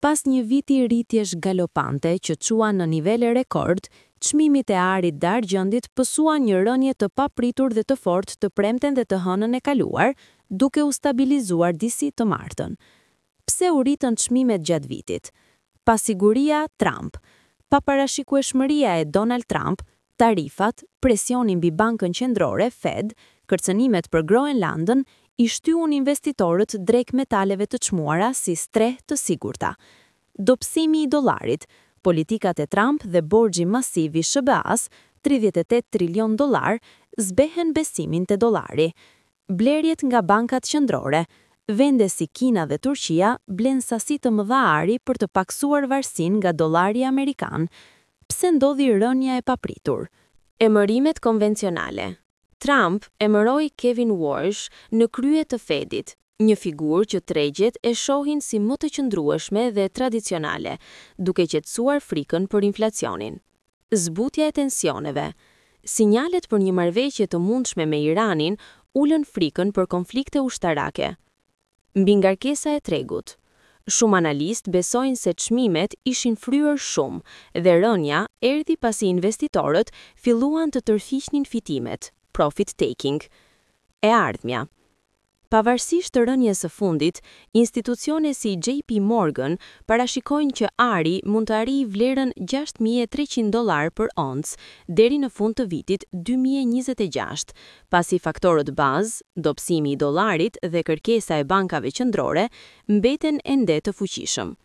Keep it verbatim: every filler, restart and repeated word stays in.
Pas një viti rritjesh galopante që çuan në nivele rekord, çmimet e arit dhe argjendit pësuan një rënie të papritur dhe të fortë të premten dhe të hënën e kaluar, duke u stabilizuar disi të martën. Pse u rritën çmimet gjatë vitit? Pasiguria Trump. Paparashikueshmëria e Donald Trump, tarifat, presioni mbi bankën qendrore Fed, kërcënimet për Groenlandën, i shtyun investitorët drejt metaleve të çmuara si strehë të sigurta. Dobësimi i dollarit, politikat e Trump dhe borxhi masiv i S H B A-s, tridhjetë e tetë trilion dollar, zbehen besimin te dollari. Blerjet nga bankat qendrore, vende si Kina dhe Turqia blen sasi të mëdha ari për të paksuar varësinë nga dollari amerikan. Pse ndodhi rënia e papritur? Emërimet konvencionale. Trump emëroi Kevin Warsh në krye të Fedit, një figurë që tregjet e shohin si më të qëndrueshme dhe tradicionale, duke qetësuar frikën për inflacionin. Zbutja e tensioneve. Sinjalet për një marrëveshje të mundshme me Iranin ulën frikën për konflikte ushtarake. Mbingarkesa e tregut. Shumë analistë besojnë se çmimet ishin fryrë shumë dhe rënia erdhi pasi investitorët filluan të tërhiqnin fitimet, profit taking. E ardhmja. Pavarësisht të rënies së fundit, institucione si J P Morgan parashikojnë që ari mund të arrijë vlerën gjashtë mijë e treqind dollar për oncë deri në fund të vitit dy mijë e njëzet e gjashtë, pasi faktorët bazë, dobësimi i dollarit dhe kërkesa e bankave qendrore mbeten ende të fuqishëm.